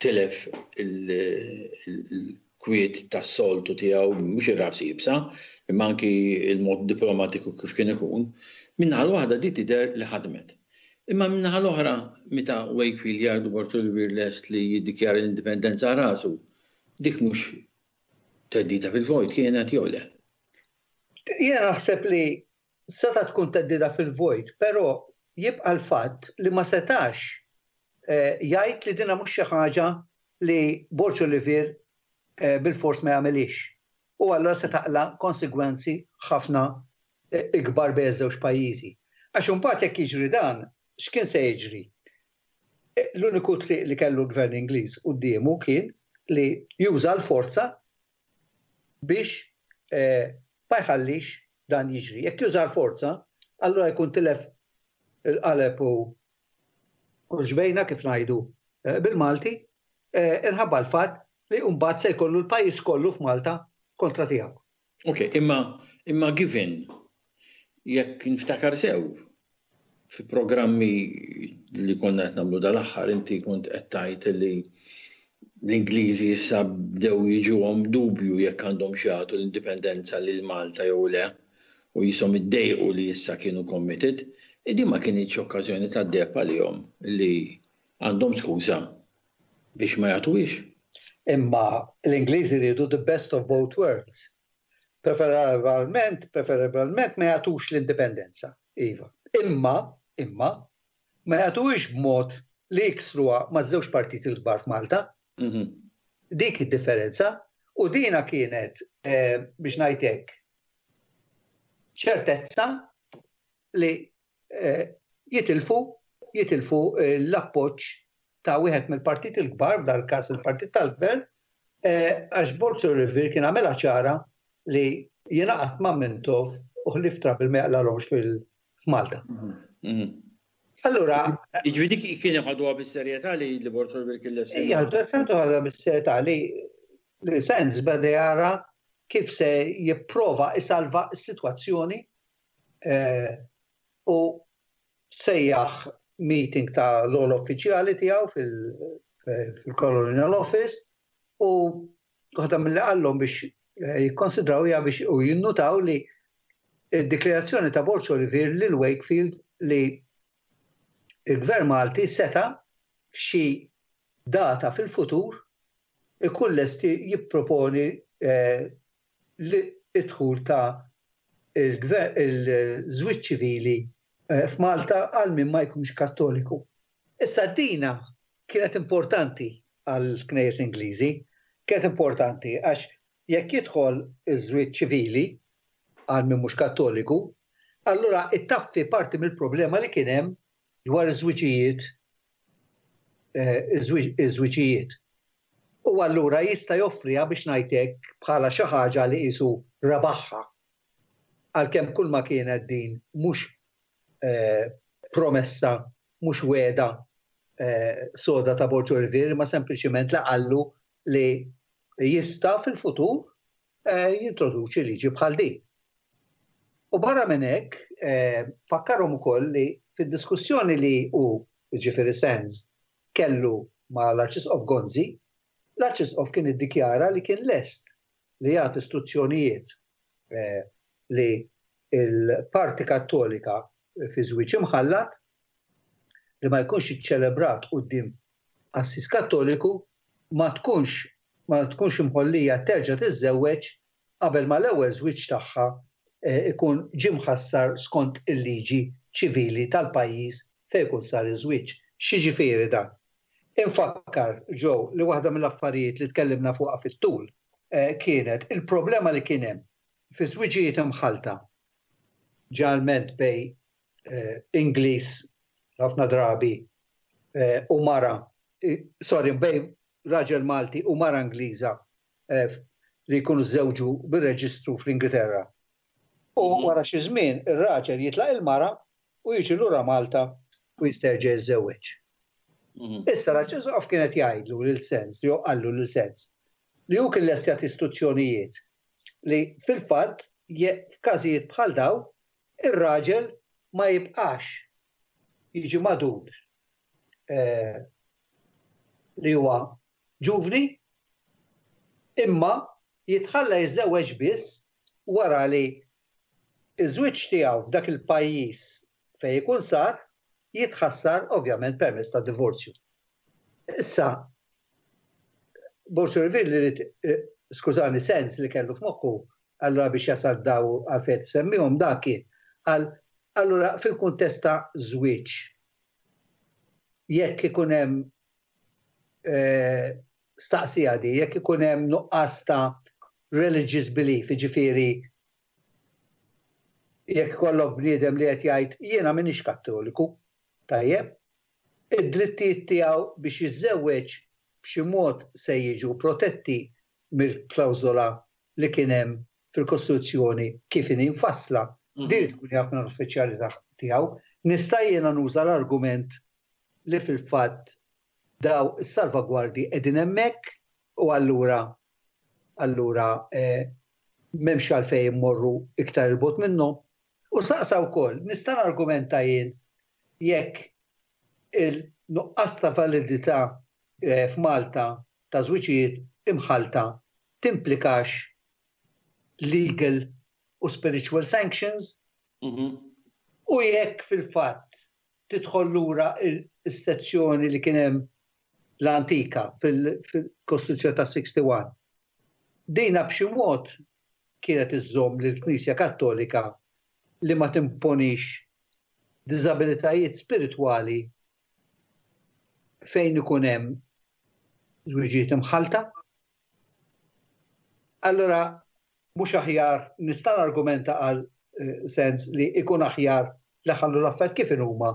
A: tilef il-kwiet tas-soltu tiegħu, mhux ir-ras iebsa, imma anki l-mod diplomatiku kif kien ikun, min-naħa l-waħda di tidher li ħadmet. Imma min-naħa l-oħra, meta Wakefield jgħidu Borg Olivier lest li jiddikjara l-indipendenza għal rasu, dik mhux theddida fil-vojt kienet jew le?
C: Jiena naħseb li setgħet tkun theddida fil-vojt, però jibqa' l-fatt li ma setax jgħid li dinha mhux xi ħaġa li Borg Olivier bilfors ma jagħmilhiex. U allura se taqla' konsegwenzi ħafna ikbar bejn iż-żewġ pajjiżi. Għax imbagħad jekk jiġri dan, x'kien se jiġri? L-uniku triq li kellu l-Gvern Ingliż quddiemu kien li juża l-forza biex ma jħallix dan jiġri. Jekk juża l-forza, allura jkun tilef il-qaleb u xbejna kif ngħidu bil-Malti, inħabba l-fatt li mbagħad se jkollu l-pajjiż kollu f'Malta kontra tiegħu.
A: Ok, imma imma given jekk niftakar sew fi programmi li konna qed nagħmlu dal-aħħar inti kont qed tgħid li l-Ingliżi issa bdew jiġuhom dubju jekk għandhomx jagħtu l-indipendenza lil Malta jew le u qishom iddejqu li issa kienu committed. Din ma kinitx okkażjoni tad-deheb għalihom li għandhom skuża biex ma jagħtuhiex.
C: Imma l-Ingliżi riedu the best of both worlds. Preferabilment, preferabilment ma jagħtux l-indipendenza, iva. Imma, imma, ma jagħtuhiex b'mod li jiksruha maż-żewġ partiti l-kbar f'Malta. Dik id-differenza. U dina kienet, biex ngħid hekk, ċertezza li jitilfu jitilfu l-appoġġ ta' wieħed mill-partiti l-kbar, f'dal każ il-partit tal-gvern, għax Borg Olivier kien għamilha ċara li jingħaqad ma' Mintoff u ħlief trouble ma jaqlalhomx f'Malta. Allura.
A: Jiġifieri dik kienu ħaduha bis-serjetà li Borg Olivier kien lest.
C: Ħaduha bis-serjetà li li Sands beda jara kif se jipprova isalva s-sitwazzjoni u sejjaħ meeting ta' l-ogħla uffiċjali tiegħu fil-Colonial Office u waħda milli qallhom biex jikkonsidraw hija biex u jinnutaw li d-dikjarazzjoni ta' Borg Olivier lil Wakefield li l-Gvern Malti seta' f'xi data fil-futur ikun lest jipproponi id-dħul ta' il-żwieġ ċivili f'Malta għal min ma jkunx Kattoliku. Issa dina kienet importanti għall-Knejjes Ingliżi, kienet importanti għax jekk jidħol iż-żwieġ ċivili għal min mhux Kattoliku, allura ittaffi parti mill-problema li kien hemm dwar iż-żwiġijiet iż-żwiġijiet. U allura jista' joffriha biex ngħid hekk bħala xi ħaġa li qisu rebaħha. Għalkemm kull ma kienet din mhux promessa, mhux wegħda soda ta' Borg Olivier imma sempliċiment li qallu li jista' fil-futur jintroduċi liġi bħal din. U barra minn hekk, fakkarhom ukoll li fid-diskussjoni li hu, jiġifieri Sands, kellu ma' l-Arċisqof Gonzi, l-Arċisqof kien iddikjara li kien lest li jagħti istruzzjonijiet li l-parti Kattolika fi żwieġ imħallat li ma jkunx iċċelebrat quddiem qassis Kattoliku ma tkunx ma tkunx imħollija terġa' tiżżewweġ qabel ma l-ewwel żwieġ tagħha jkun ġie mħassar skont il-liġi ċivili tal-pajjiż fejn ikun sar iż-żwieġ. X'jiġifieri dan? Infakkar, Joe, li waħda mill-affarijiet li tkellimna fuqha fit-tul kienet il-problema li kien hemm fi żwiġijiet imħallta, ġeneralment bejn Ingliż ħafna drabi u mara, sorry, bejn raġel Malti u mara Ingliża li jkunu żżewġu bir-reġistru fl-Ingilterra. U wara xi żmien ir-raġel jitlaq il-mara u jiġi lura Malta u jista' jerġa' jiżżewweġ. Issa l-Arċisqof kien qed jgħidlu lil Sens, jew qallu lil Sens, li hu kien lest jagħti istruzzjonijiet li fil-fatt f'każijiet bħal dawn ir-raġel ma jibqax jiġi magħdud li huwa ġuvni imma jitħalla jiżżewweġ biss wara li ż-żwieġ tiegħu f'dak il-pajjiż fejn ikun sar jitħassar ovvjament permezz ta' divorzju. Issa, Borg Olivier li ried, skużani, sens li kellu f'moħħu allura biex jasal daw għalfejn qed isemmihom dan kien qal allura fil-kuntest ta' żwieġ jekk ikun hemm staqsija di, jekk ikun hemm nuqqas ta' religious belief, jiġifieri jekk ikollok bniedem li qed jgħid jiena m'iniex Kattoliku, tajjeb, id-drittijiet tiegħu biex jiżżewweġ b'xi mod se jiġu protetti mill-klawżola li kien hemm fil-Kostituzzjoni kif inhi mfassla. Din irid ikun jaf minn uffiċjali tiegħu. Nista' jiena nuża l-argument li fil-fatt daw is-salvagwardji qegħdin hemmhekk u allura allura m'hemmx għalfejn immorru iktar 'il bogħod minnhom. U saqsa wkoll, nista' nargumenta jien jekk il-nuqqas ta' validità f'Malta ta' żwiġijiet imħallta timplikax legal u spiritual sanctions u jekk fil-fatt tidħol lura s-sezzjoni li kien hemm l-antika fil-Kostituzzjoni ta' 61. Dina b'xi mod kienet iżżomm lill-Knisja Kattolika li ma timponix diżabilitajiet spiritwali fejn ikun hemm żwiġijiet imħallta. Allura mhux aħjar nista' nargumenta għal sens li ikun aħjar li ħallu l-affarijiet kif inhuma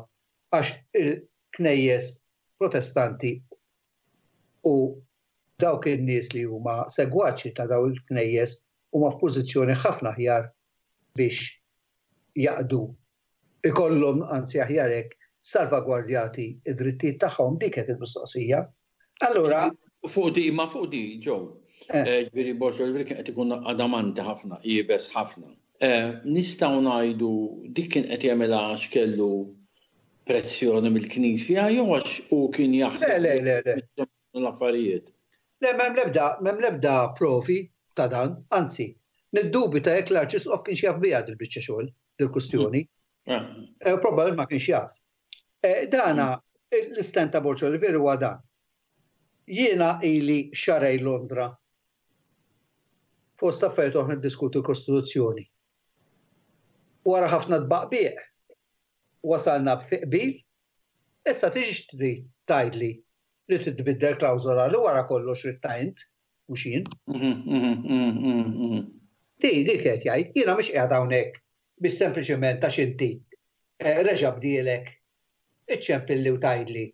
C: għax il-knejjes protestanti u dawk in-nies li huma segwaċi ta' dawn il-knejjes huma f'pożizzjoni ħafna aħjar biex jaqdu ikollhom anzi aħjar hekk salvagwardjati d-drittijiet tagħhom dik kienet il-mistoqsija. Allura
A: Fuq di, ma fuq di, Joe, eh. ġifieri Borg Olivier kien qed ikun adamanti ħafna, iebes ħafna. Eh, nistgħu ngħidu dik kien qed jagħmilha għax kellu pressjoni mill-Knisja jew għax hu kien jaħseb
C: Le, le, le, le.
A: l-affarijiet.
C: Le, m'hemm l-ebda, m'hemm l-ebda provi ta' dan, anzi, niddubita jekk l-Arċisqof kienx jaf biha dil-biċċa xogħol, dil-kustjoni. Eh. Probabbilment ma kienx jaf. Dana, l-istand ta' Borg Olivier huwa dan. Jiena ili xahrejn Londra fost affarijiet oħra niddiskutu l-Kostituzzjoni. Wara ħafna tbaqbiq wasalna fi qbil, issa tiġix trid tgħidli li trid tbiddel klawżola li wara kollox ridtha int, mhux jien. Di dik qed jgħid, jiena mhux qiegħed hawnhekk biex sempliċement għax inti reġa' bdielek iċċempilli u tgħidli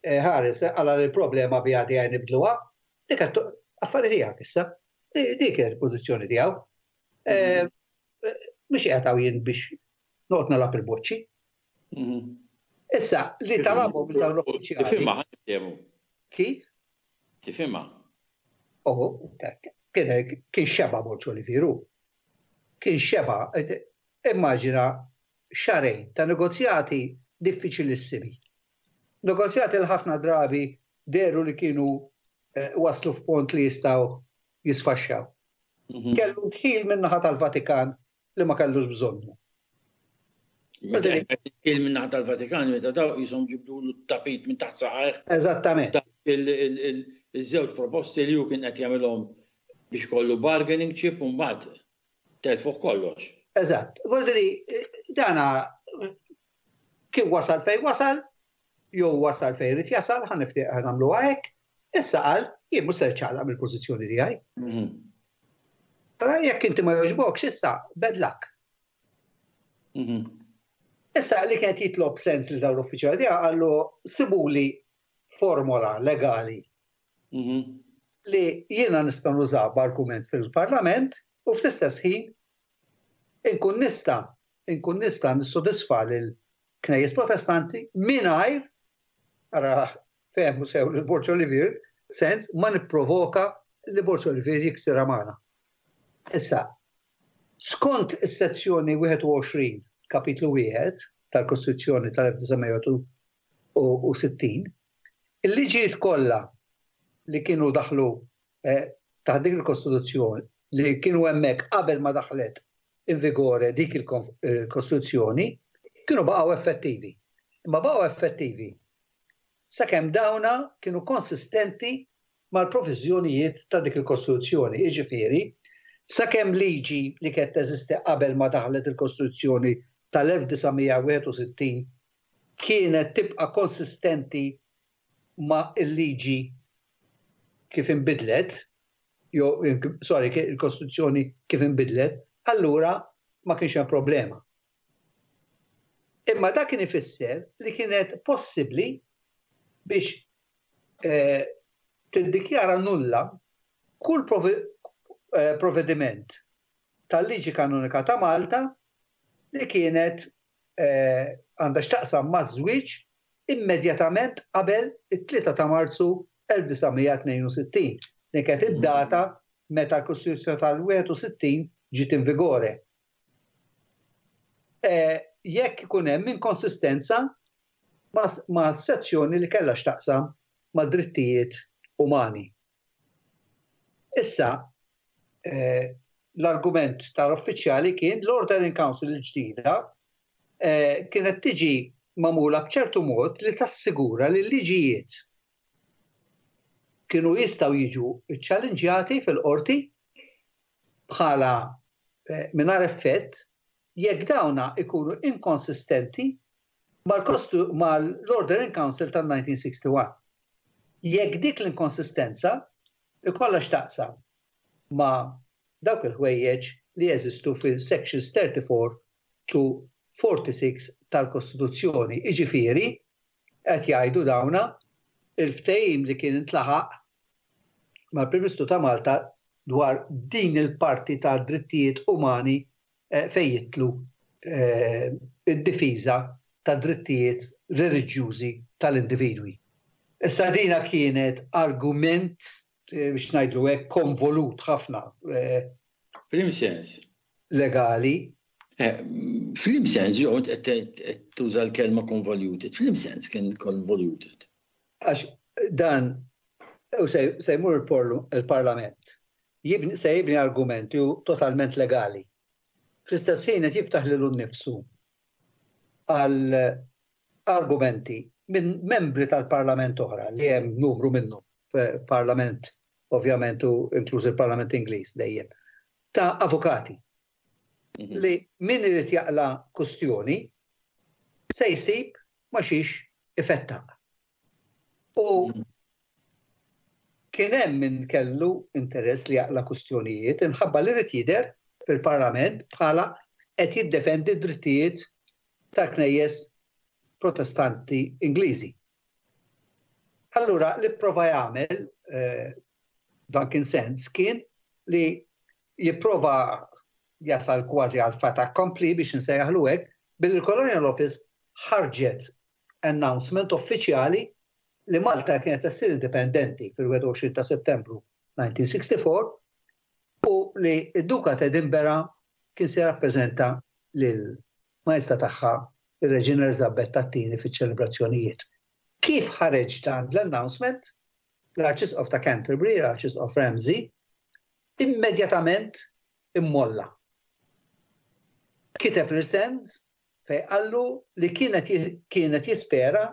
C: ħares għala l-problema biha di għaj nibdluha, dik affari tiegħek issa. Dik kienet il-pożizzjoni tiegħu. Mhux qiegħed hawn jien biex noqgħod nilgħab il-boċċi. Issa, li talabhom minn dawn l-uffiċjali.
A: Tifhimha ħa
C: Kif?
A: Tifhimha.
C: Oh, kien xeba Borg Olivier hu. Kien xeba. Immaġina xahrejn ta' negozjati diffiċilissimi. Negozjati li ħafna drabi dehru li kienu waslu f'punt li jistgħu jisfaxxaw. Kellu ndħil min-naħa tal-Vatikan li ma kellux bżonnu.
A: Ndħil min-naħa tal-Vatikan meta daw qishom ġibdulu t-tapit minn taħt saqajh.
C: Eżattament.
A: Il-żewġ proposti li hu kien qed jagħmilhom biex ikollu bargaining chip u mbagħad telfuh kollox.
C: Eżatt. Vuol dana kif wasal fejn wasal, jew wasal fejn irid jasal, ħa nagħmluha hekk, issa qal jien mhux se niċċaqlaq mill-pożizzjoni tiegħi. Tara jekk inti ma jogħġbokx issa bad luck. Issa li kienet jitlob sens li dawn l-uffiċjali tiegħu qallu sibuli formola legali li jiena nista' nuża b'argument fil-Parlament u fl-istess ħin inkun nista' inkun nista' nissodisfa lil knejjes Protestanti mingħajr ara fehmu sew lil Borg Olivier sens ma nipprovoka li Borg Olivier jiksirha magħna. Issa, skont is-sezzjoni 21 kapitlu 1 tal-Kostituzzjoni tal-1961, il-liġijiet kollha li kienu daħlu taħt dik il-Kostituzzjoni, li kienu hemmhekk qabel ma daħlet in vigore dik il-Kostituzzjoni, kienu baqgħu effettivi. Imma baqgħu effettivi sakemm dawna kienu konsistenti mal-proviżjonijiet ta' dik il-Kostituzzjoni, jiġifieri, sakemm liġi li kienet teżisti qabel ma daħlet il-Kostituzzjoni tal-1961 kienet tibqa' konsistenti ma' l-liġi kif inbidlet, jew, sorry, il-Kostituzzjoni kif inbidlet, allura ma kienx hemm problema. Imma dak kien ifisser li kienet possibbli biex tiddikjara nulla kull provvediment tal-liġi kanonika ta' Malta li kienet għandha x'taqsam maż-żwieġ immedjatament qabel it-3 ta' Marzu 1962, li kienet id-data meta l-Kostituzzjoni tal-61 ġiet in vigore. Jekk ikun hemm inkonsistenza ma' sezzjoni li kellha x'taqsam ma' drittijiet umani. Issa, l-argument tal-uffiċjali kien l-Order in Council il-ġdida kienet tiġi magħmula b'ċertu mod li tassigura li l-liġijiet kienu jistgħu jiġu ċċallenġjati fil-qorti bħala mingħajr effett jekk dawna ikunu inkonsistenti mal-Order in Council tan-1961. Jekk dik l-inkonsistenza ikollha x'taqsam ma' dawk il-ħwejjeġ li jeżistu fil-Sections 34 to 46 tal-Kostituzzjoni, jiġifieri, qed jgħidu dawna, il-ftehim li kien intlaħaq mal-Prim Ministru ta' Malta dwar din il-parti ta' drittijiet umani fejn jidħlu d-difiża tad-drittijiet reliġjużi tal-individwi. Issa dina kienet argument, biex ngħidlu hekk, konvolut ħafna.
A: F'liem sens?
C: Legali.
A: F'liem sens, jew qed tuża l-kelma convoluted, f'liem sens kien convoluted?
C: Għax dan se jmur il-Parlament, se jibni argument li hu totalment legali. Fl-istess ħin qed jiftaħ lilu nnifsu għal argumenti minn membri tal-Parlament oħra li hemm numru minnhom f'Parlament ovvjament u inkluż il-Parlament Ingliż dejjem ta' avukati li min irid jaqla' kustjoni se jsib ma xiex ifettaq. U kien hemm min kellu interess li jaqla' kustjonijiet inħabba li ried jidher fil-Parlament bħala qed jiddefendi d-drittijiet tal-knejjes Protestanti Ingliżi. Allura li pprova jagħmel Duncan Sands kien li jipprova jasal kważi għal fait accompli biex insejjaħlu hekk billi l-Colonial Office ħarġet announcement uffiċjali li Malta kienet se ssir indipendenti fil-21 ta' Settembru 1964 u li d-Duka ta' Edinburgh kien se jirrappreżenta lill-Maestà Tagħha ir-Reġina Eliżabetta t-Tieni fiċ-ċelebrazzjonijiet. Kif ħareġ dan l-announcement, l-Arċisqof ta' Canterbury, l-Arċisqof Ramsey, immedjatament immolla. Kiteb lil Sands fejn qallu li kienet kienet jispera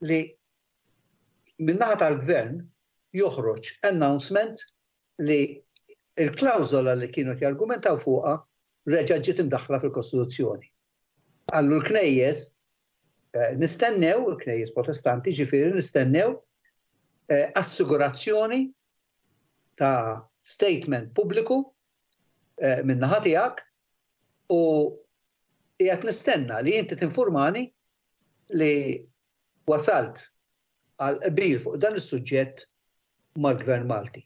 C: li min-naħa tal-Gvern joħroġ announcement li l-klawżola li kienu qed jargumentaw fuqha reġgħet ġiet imdaħħla fil-Kostituzzjoni. Qallu l-knejjes nistennew, il-knejjes Protestanti ġifieri nistennew assigurazzjoni ta' statement pubbliku min-naħa tiegħek u qiegħed nistenna li inti tinfurmani li wasalt għal qbil fuq dan is-suġġett mal-Gvern Malti.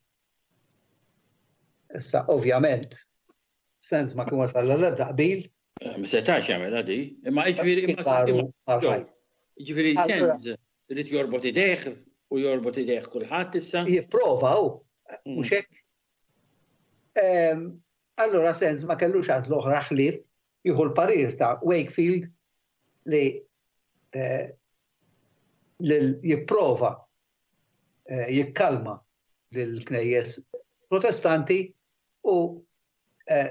C: Issa, ovvjament, Sands ma kien wasal għal ebda qbil.
A: Ma setax jagħmilha di, imma jiġifieri Jiġifieri Sands irid jorbot idejh u jorbot idejh kulħadd issa.
C: Jipprova hu, mhux hekk? Allura Sands ma kellux għażla oħra ħlief jieħu l-parir ta' Wakefield li jipprova jikkalma lill-knejjes Protestanti u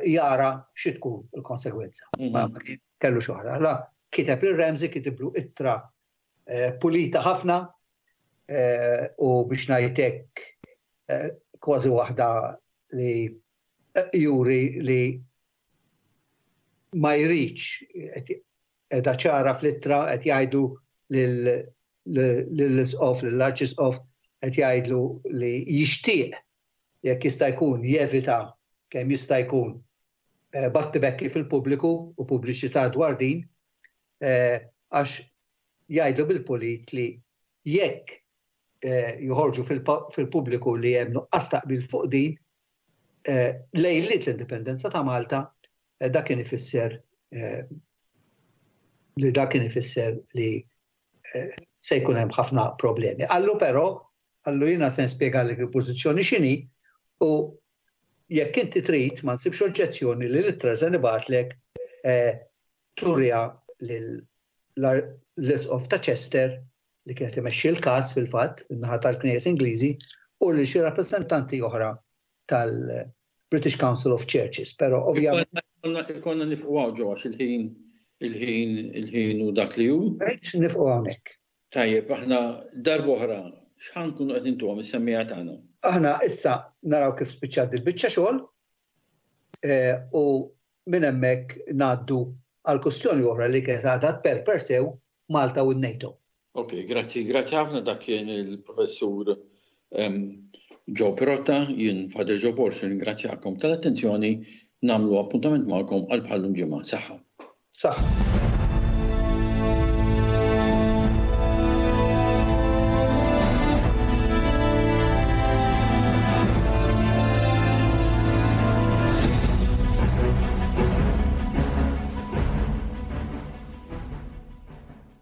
C: jara xi tkun il-konsegwenza. Ma kellux oħra. La kiteb lil Ramsey kitiblu ittra pulita ħafna u biex ngħid hekk kważi waħda li juri li ma jridx qiegħda ċara fl-ittra qed jgħidu lill-isqof, lill-arċisqof qed jgħidlu li jixtieq jekk jista' jkun jevita kemm jista' jkun battibekki fil-pubbliku u pubbliċità dwar din għax jgħidlu bil-pulit li jekk joħorġu fil-pubbliku li hemm nuqqas ta' qbil fuq din lejliet l-indipendenza ta' Malta dak kien ifisser li dak kien ifisser li se jkun hemm ħafna problemi. Qallu però, qallu jiena se nispjegalek il-pożizzjoni x'inhi u jekk inti trid ma nsibx oġġezzjoni li l-ittra se nibgħatlek turiha lill-Isqof ta' Chester li kien qed imexxi l-każ fil-fatt min-naħa tal-Knejjes Ingliżi u lil xi rappreżentanti oħra tal-British Council of Churches, però ovvjament.
A: Ikollna nifqu hawn ġo għax il-ħin il-ħin il-ħin hu dak li hu.
C: Rejt nifqu hawnhekk.
A: Tajjeb, aħna darb'oħra x'ħa nkunu qed intuhom is-semmiegħa tagħna?
C: Aħna issa naraw kif spiċċat dil-biċċa xogħol u minn hemmhekk ngħaddu għal kwistjoni oħra li kienet għadha tperper sew Malta u n-NATO.
A: Ok, grazzi, grazzi ħafna dak kien il-Professur Joe Pirotta, jien Father Joe Borg nirringrazzjakom tal-attenzjoni, nagħmlu appuntament magħkom għal bħal-lum ġimgħa. Saħħa.
C: Saħħa.